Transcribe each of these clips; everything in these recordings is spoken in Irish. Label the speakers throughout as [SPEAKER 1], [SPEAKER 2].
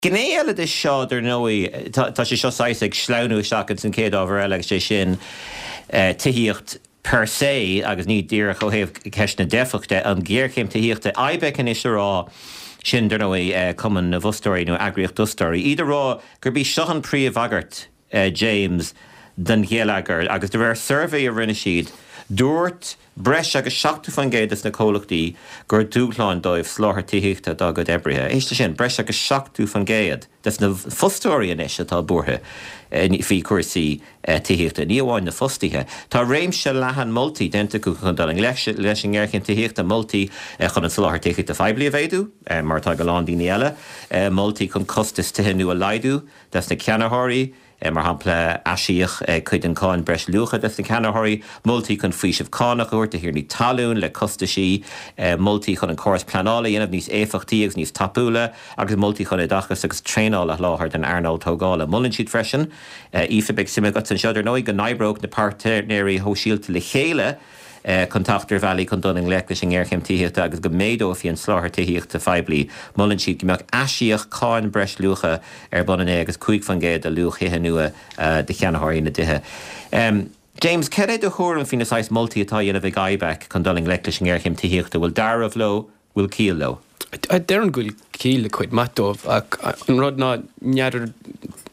[SPEAKER 1] Gné eile de seo, dar ndóigh, tá sé seo saghas ag sleamhnú isteach ins an chéad ábhar eile agus sé sin tithíocht per se agus ní díreach ó thaobh ceist na dteifeach de, an ghéarchéim tithíochta. IBEC anois a rá, sin dar ndóigh Cumann na bhFostóirí nó eagraíocht d'fhostóirí, iad a rá gurb í seo an príomhbhagairt, James, don gheilleagar agus de réir suirbhé a rinne siad, dúirt breis agus 70% de na comhlachtaí gur dúshlán dóibh soláthar tithíochta dá gcuid oibrithe. Éist leis sin, breis agus 70% de na fostóirí anois atá buartha faoi chúrsaí tithíochta, ní amháin na fostaithe. Tá réimse leathan moltaí déanta acu chun dul i ngleic leis an ngéarchéim tithíochta, moltaí chun an soláthar tithíochta phoiblí a mhéadú, mar atá ag a lán daoine eile, moltaí chun costas tithe nua a laghdú, des na ceannaitheoirí, mar shampla, aisíoc cuid den cháin breis luacha des na ceannaitheoirí, moltaí chun faoiseamh cánach a thabhairt do thiarnaí talún le costaisí, moltaí chun an córas pleanála a dhéanamh níos éifeachtaí agus níos tapúla, agus moltaí chun oideachas agus traenáil a sholáthar don earnáil tógála. Molann siad freisin, Aoife, beidh suim agat anseo, dar ndóigh, go n-oibreodh na páirtnéirí shóisialta le chéile, chun teacht ar bhealaí chun dul i ngleic leis an ngéarchéim tithíochta agus go méadófaí an soláthar tithíochta phoiblí. Molann siad go mbeadh aisíoc cáin breis luacha ar bun in éag agus 5% de luach thithe nua do cheannaitheoirí na dtithe. James, cad é do thuairim faoi na saghas moltaí atá á dhéanamh ag IBEC chun dul i ngleic leis an ngéarchéim tithíochta? Bhfuil dealramh leo? Bhfuil ciall leo?
[SPEAKER 2] Déarfainn go bhfuil ciall le cuid maith dóibh ach an rud ná n'fheadar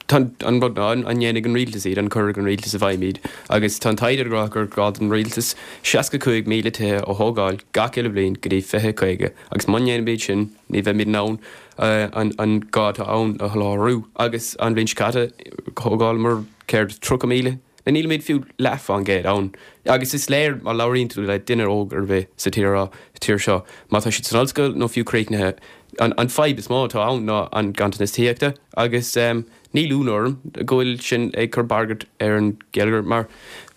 [SPEAKER 2] tá an rud ná an ndéanfaidh an rialtas iad, an cuirfidh an rialtas i bhfeidhm iad agus tá an taighde ag rá gur gá don rialtas 65,000 tithe a thógáil gach uile bhliain go dtí 2050 agus má ndéanaimid sin ní bheimid in ann an an gá atá ann a sholáthrú agus an bhliain seo caite thógálamar céard 30,000 Nílimid fiú leath fán gcéad ann. Agus is léir má labhraíonn tú le duine óg ar bith sa tír tír seo, má tá siad san ollscoil nó fiú críochnaithe, an an fadhb is mó atá ann ná an ganntanas tithíochta agus níl ionadh orm go bhfuil sin ag cur bagairt ar an gheilleagar mar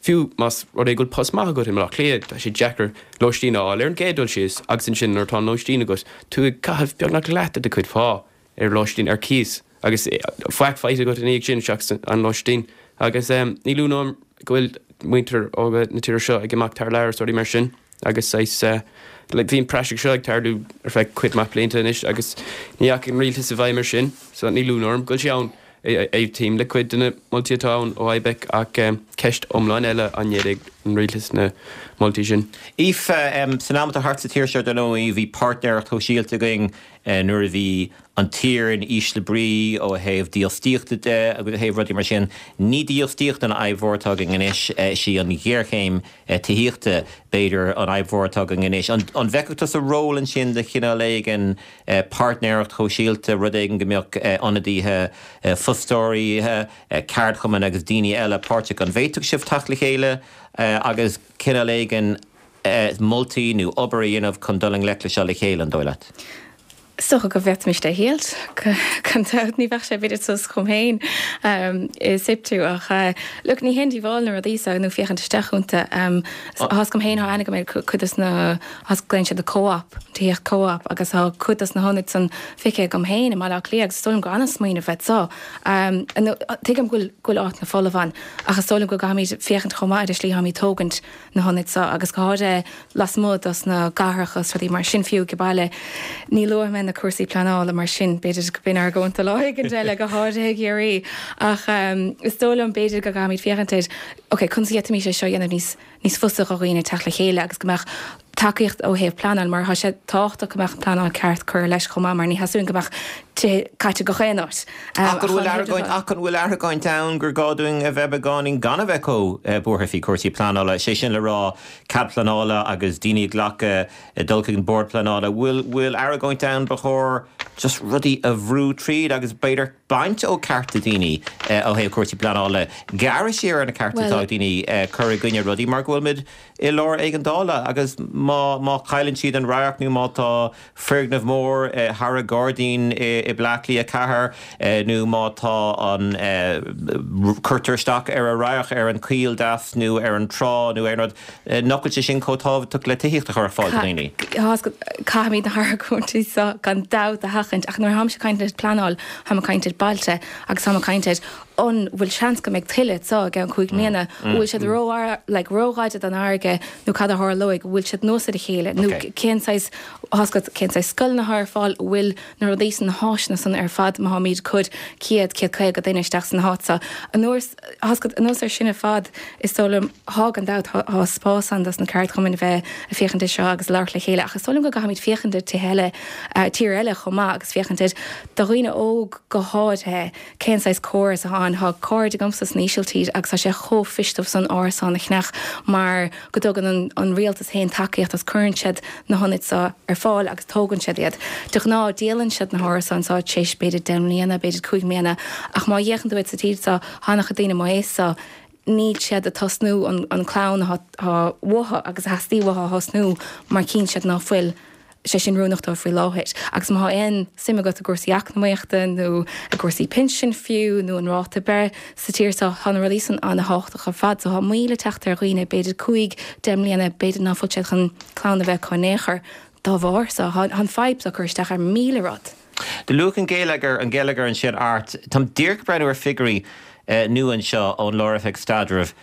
[SPEAKER 2] fiú más rud é go bhfuil post maith agat i mBaile Átha Cliath, tá sé deacair lóistín a fháil ar an gcéad dul síos agus ansin nuair atá an lóistín agat, tú ag caitheamh beagnach leath de do chuid phá ar lóistín ar cíos agus faic faighte agat ina dhiaidh sin seachas an lóistín. Agus níl ionadh orm go bhfuil muintir óga na tíre seo ag imeacht thar lear is rudaí mar sin agus saghas like bhí an praiseach seo ag tarlú ar feadh cuid maith blianta anois agus ní dheachaigh an rialtas i bhfeidhm ar sin so níl ionadh orm go bhfuil sé ann. Aontaím le cuid de na moltaí atá ann ó IBEC ach ceist iomlán eile an ndéanfaidh an rialtas na moltaí sin.
[SPEAKER 1] Aoife, San am atá thart sa tír seo dar ndóigh bhí páirtnéireacht shóisialta againn nuair a bhí an tír in ísle brí ó thaobh dífhostaíochta de agus ó thaobh rudaí mar sin. Ní dífhostaíocht an fhadhb mhór atá againn anois, is í an ghéarchéim tithíochta, b'fhéidir, an fhadhb mhór atá againn anois. An bhfeicfeadh tusa ról ansin de chineál éigin páirtnéireacht shóisialta, rud éigin go mbeadh ionadaithe fostóirí, ceardchumainn agus daoine eile páirteach? An bhféadfadh sibh teacht le chéile agus cineál éigin moltaí nó obair a dhéanamh chun dul i ngleic le seo le chéile, an dóigh leat?
[SPEAKER 3] Is dócha go bhféadfaimis é a thriail, gan dabht. Ní bheadh sé b'fhéidir suas chugam féin i SIPTU ach look, ní haon díobháil na rudaí seo nó féachaint isteach iontu. Tá fhios agam féin, tá aithne agam ar cuid dos na, glaonn siad co-op, tithíocht co-op agus tá cuid dos na hionaid san feicthe agam féin i mBaile Átha Cliath agus is dóigh liom gur an-smaoineamh iad so. Tuigim go bhfuil, go bhfuil áiteanna folamh ann ach is dóigh liom go gcaithfimid féachaint chomh maith ar an slí atáimid ag tógaint na hionaid seo agus go háirithe lasmuigh dos na cathracha is rudaí mar sin fiú ag baile. Ní luafaidh mé na cúrsaí pleanála mar sin, b'fhéidir go b'in argóint do lá éigin eile, go háirithe i gCiarraí. Ach is dóigh liom b'fhéidir go gcaithfimid féachaint ar, ok, conas a d'fhéadfaimis é seo a dhéanamh níos níos fusa do dhaoine teacht le chéile agus go mbeadh tacaíocht ó thaobh pleanáil mar tá sé tábhachtach go mbeadh an pleanáil ceart curtha leis chomh maith mar ní theastaíonn go mbeadh tithe caite gach aon áit.
[SPEAKER 1] Ach an bhfuil argóint, ach an bhfuil argóint ann gur gá dúinn a bheith beagáinín gan a bheith chomh buartha faoi chúrsaí pleanála, sé sin le rá cead pleanála agus daoine ag glacadh dul chuig an bord pleanála, bhfuil, bhfuil argóint ann ba chóir just rudaí a bhrú tríd agus b'fhéidir baint ó cearta daoine ó thaobh cúrsaí pleanála, gearradh siar ar na cearta atá ag daoine cur i gcoinne rudaí mar go bhfuil muid i lár éigeandála agus má, má chailleann siad an radharc nó má tá foirgneamh mór thar a gairdín i Bleá Cliath 4 nó má tá an, cuirtear isteach ar a radharc ar an choill deas nó ar an trá nó aon rud, nach bhfuil sé sin chomh tábhachtach le tithíocht a chur ar fáil do dhaoine.
[SPEAKER 3] Caithfimid na hargóintí seo gan dabht a sheachaint. sheachaint ach nuair atáimse ag caint ar pleanáil, táim ag caint ar bailte agus táim ag caint ar an bhfuil seans go mbeidh tuile anso i gceann 5 mbliana, an bhfuil siad ró like róghar don fharraige nó cad a tharlóidh, an bhfuil siad anuas ar a chéile nó cén saghas, tá 's agat, cén saghas scoileanna atá ar fáil, an bhfuil na rudaí san, na háiseanna san ar fad má tháimid ag cur 100, 150 duine isteach san áit so. Anuas, tá 's agat, anuas ar sin ar fad, is dóigh liom, thá gan dabht, thá spás ann dos na ceardchumainn a bheith ag féachaint ar seo agus ag labhairt le chéile ach is dóigh liom go gcaithfimid féachaint ar tithe eile, tír eile chomh maith agus féachaint ar, do dhaoine óg go háirithe, cén saghas córas atá ann. Thá cairde agamsa san Ísiltír agus tá sé chomh fuirist dóibh san árasán a cheannach mar go dtugann an rialtas féin tacaíocht agus cuireann siad na hionaid seo ar fáil agus tógann siad iad. De ghnáth díolann siad na hárasáin seo tar éis b'fhéidir 10 mbliana, b'fhéidir 5 mbliana ach má fhéachann tú air sa tír seo, thá an-chuid daoine mo aois seo, níl siad ag tosnú an clann atá uathu agus a theastaigh uathu a thosnú mar chíonn siad ná fuil sé sin oiriúnach dóibh faoi láthair. Agus má thá aon suim agat i gcúrsaí eacnamaíochta nó i gcúrsaí pinsin fiú nó an ráta breith sa tír seo, tá na rudaí san ana-thábhachtach ar fad. So thá moill ag teacht ar dhaoine, b'fhéidir 5, 10 mbliana, b'fhéidir ná fuil siad chun clann a bheith acu in aon chor dá bharr. So thá an fadhb seo ag cur isteach ar 1000 rud.
[SPEAKER 1] Do luaigh an geilleagar, an geilleagar ansin Art. Táim díreach ag breathnú ar figiúirí nua anseo ón Lár-Oifig Staidrimh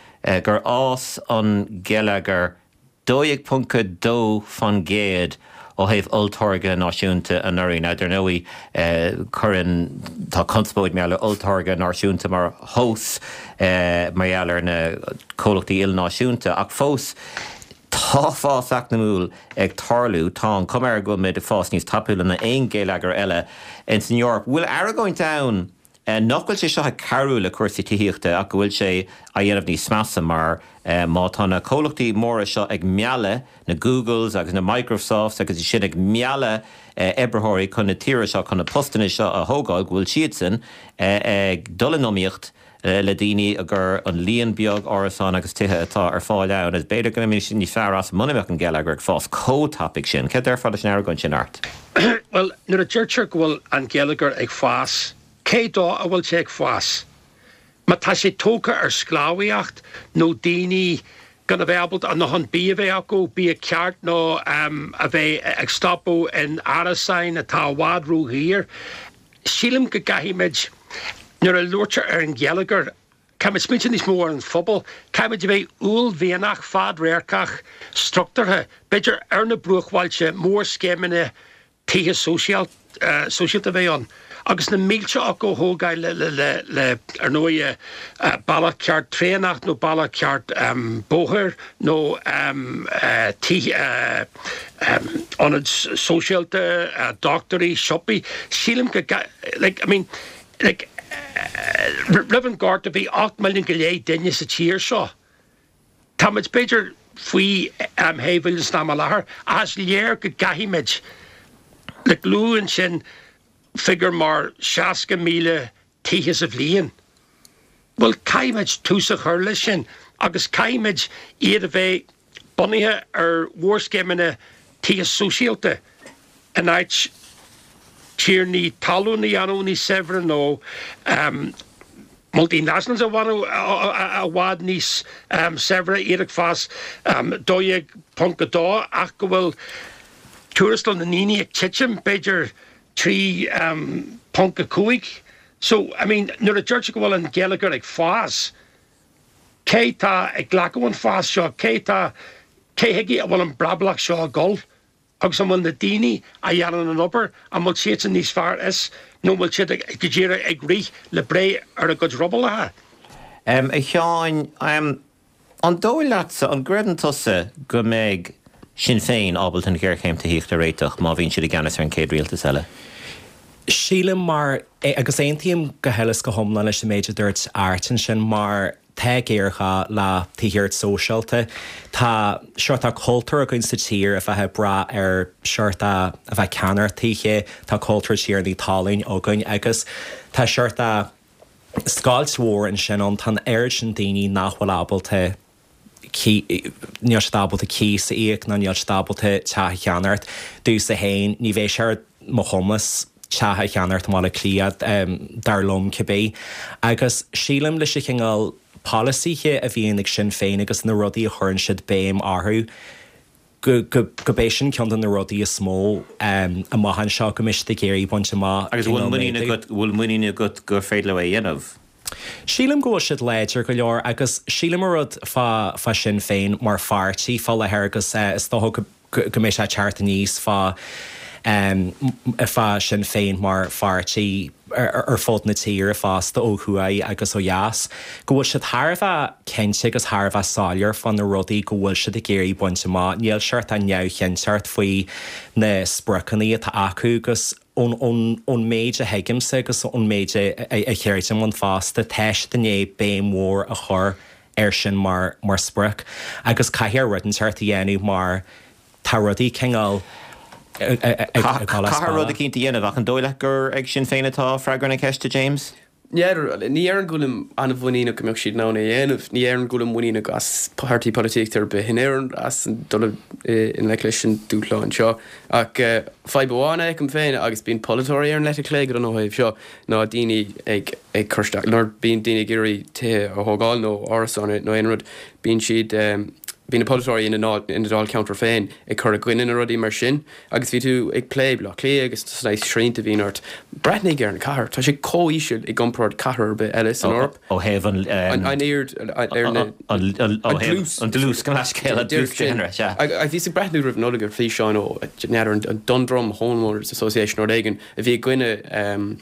[SPEAKER 1] gur fhás an geilleagar 12.2% ó thaobh olltáirge náisiúnta anuraidh. Now, dar ndóigh, cuireann, tá conspóid mar gheall ar olltáirge náisiúnta mar thomhas mar gheall ar na comhlachtaí ilnáisiúnta, ach fós tá fás eacnamúil ag tarlú. Tá an chuma air go bhfuil muid ag fás níos tapúla ná aon gheilleagar eile ins an Eoraip. Bhfuil argóint ann nach bhfuil sé seo ag cabhrú le cúrsaí tithíochta ach go bhfuil sé á dhéanamh níos measa mar má tá na comhlachtaí móra seo ag mealladh na Googles agus na Microsofts agus iad sin ag mealladh oibritheoirí chun na tíre seo chun na postanna seo a thógáil go bhfuil siadsan ag dul in iomaíocht le daoine gur an líon beag árasán agus tithe atá ar fáil ann is b'fhéidir go mbeimis níos fearr as muna mbeadh an geilleagar ag fás chomh tapaidh sin. Céard déarfá leis an argóint sin, Art?
[SPEAKER 4] Bhuel, nuair a deirtear go bhfuil an geilleagar ag fás, cé dó a bhfuil sé ag fás? Má tá sé tógtha ar sclábhaíocht nó daoine gan a bheith ábalta a ndóthain bia a bheith acu, bia ceart nó a bheith ag stopadh in árasáin atá i bhfad ródhaor, sílim go gcaithfimid, nuair a labhraítear ar an gheilleagar, caithfimid smaointiú níos mó ar an phobal, caithfimid a bheith uaillmhianach, fadradharcach, struchtúrtha, b'fhéidir ar na bruachbhailte, mórscéimeanna tithe sóisialta a bheith ann agus na mílte acu a thógáil le, ar ndóigh, bealach ceart traenach nó bealach ceart bóthair nó tithe, ionaid sóisialta, dochtúirí, siopaí. Sílim go, like, I mean, like, roimh an Ghorta bhí 8 milliún go leith duine sa tír seo. Táimid b'fhéidir faoi 6 mhilliún san am i láthair ach is léir go gcaithfimid, like, luadh ansin figiúr mar 60,000 tithe sa bhliain. Bhuel, caithfimid tús a chur leis sin agus caithfimid iad a bheith bunaithe ar mhórscéimeanna tithe sóisialta in áit tiarnaí talún a dhéanamh níos saibhre nó multinationals a dhéanamh i bhfad níos saibhre, iad ag fás 12.2 ach go bhfuil tuarastal na ndaoine ag titim b'fhéidir 3.5. So, I mean, nuair a deirtear go bhfuil an geilleagar ag fás, cé tá ag glacadh an fás seo? Cé tá, cé chuige a bhfuil an brablach seo ag dul? Agus an bhfuil na daoine a dhéanann an obair, an bhfuil siadsan níos fearr as nó an bhfuil siad go díreach ag rith le breith ar a gcuid ruballacha?
[SPEAKER 1] A Sheáin, an dóigh leatsa, an gcreideann tusa go mbeidh Sinn Féin ábalta an ghéarchéim tithíochta a réiteach má bhíonn siad i gceannas ar an chéad rialtas eile?
[SPEAKER 5] Sílim mar, agus aontaím go huile is go hiomlán leis an méid a dúirt Art ansin, mar tá géarghá le tithíocht sóisialta. Tá sórt tá cultúr againn sa tír a bheith ag brath ar sórt a bheith ag ceannacht tithe, tá cultúr tiarnaí talún againn agus tá sórt scoilt mhór ansin ann, tá an oiread sin daoine nach bhfuil ábalta níl siad ábalta cíos a íoc nó níl siad ábalta teach a cheannacht. Domhsa féin, ní bheidh sé ar mo chumas teach a cheannacht i mBaile Átha Cliath, dar liom cibé. Agus sílim leis an chineál polasaithe a bhíonn ag Sinn Féin agus na rudaí a chuireann siad béim orthu. Go go b'é sin ceann de na rudaí is mó amach anseo go mbeidh siad ag iarraidh baint amach.
[SPEAKER 1] Agus bhfuil muinín agat, bhfuil muinín agat gur féidir leo é a dhéanamh?
[SPEAKER 5] Sílim go bhfuil siad láidir go leor agus sílim an rud fá fá Sinn Féin mar pháirtí fá láthair agus is dócha go go mbeidh sé ag teacht aníos fá fá Sinn Féin mar pháirtí ar fud na tíre fosta, ó thuaidh agus ó dheas, go bhfuil siad thar a bheith cinnte agus thar a bheith soiléir fá na rudaí go bhfuil siad ag iarraidh baint amach. Níl seort neamhchinnteacht faoi na spriocanna atá acu agus ón méid a thuigimse agus ón méid a chreidim ann fosta, tá siad i ndiaidh béim mhór a chur air sin mar sprioc agus caithfear rud inteacht a dhéanamh mar tá rudaí cineál
[SPEAKER 1] ag dul as bealach. Caithfear rud eicínt a dhéanamh ach an dóigh leat gur ag Sinn Féin atá freagra na ceiste, James?
[SPEAKER 2] Ní déarfainn go bhfuilim an-mhuiníneach go mbeadh siad in ann é a dhéanamh. Ní déarfainn go bhfuilim muiníneach as páirtí polaitíochta ar bith in Éirinn as dul i ngleic leis an dúshlán seo. Ach fadhb amháin a fheicim féin, agus bíonn polaiteoirí ar an leite chlé go dona ó thaobh seo, ná daoine ag ag cur isteach, nuair bíonn daoine ag iarraidh tithe a thógáil nó árasáin nó aon rud, bíonn siad, bíonn na polaiteoirí ina ina dáilcheantar féin ag cur i gcoinne na rudaí mar sin. Agus bhí tú ag plé Baile Átha Cliath agus na srianta a bhíonn ort. Breathnaigh ar an chathair, tá sé chomh íseal i gcomparáid cathair ar bith eile san Eoraip.
[SPEAKER 1] Ó thaobh an.
[SPEAKER 2] An aird ar na.
[SPEAKER 1] An dlús. An dlús, gabh mo leithscéal, an dlús daonra, sea.
[SPEAKER 2] Bhíos ag breathnú roimh Nollaig ar físeán ó, n'fheadar, an Dundrum Homeowners Association nó rud éigin, a bhí i gcoinne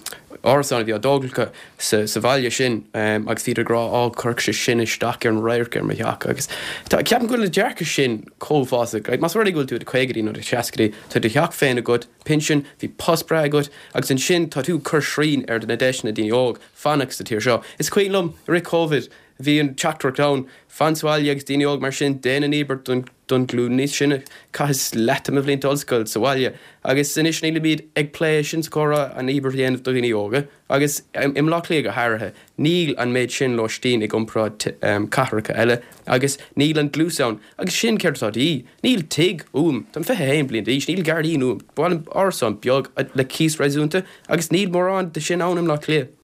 [SPEAKER 2] árasán a bhí á dtógáil acu sa bhaile sin agus bhíodar ag rá á chuirfeadh sé sin isteach ar an radharc ar mo theach agus tá ceapaim go bhfuil an dearcadh sin chomh uafásach. Like, más rud é go bhfuil tú i do chaogaidí nó do sheascaidí, tá do theach féin agat, pinsean, bhí post breá agat agus ansin tá tú ag cur srian ar na deiseanna daoine óg fanacht sa tír seo. Is cuimhin liom i rith Covid, bhí an teachtaireacht ann, fan sa bhaile agus daoine óg mar sin, déan an íobairt don don ghlúin níos sine. Chaitheas leath de mo bhlianta ollscoile sa bhaile agus anois nílimid ag plé sin sa chomhrá, an íobairt a dhéanamh do dhaoine óga agus i mBleá Cliath go háirithe. Níl an méid sin lóistín i gcomparáid cathracha eile agus níl an dlús ann agus sin céard atá de dhíth. Níl tigh uaim, táim 21 bliain d'aois, níl gairdín uaim, ba mhaith liom árasán beag le cíos réasúnta agus níl mórán de sin ann i mBleá Cliath.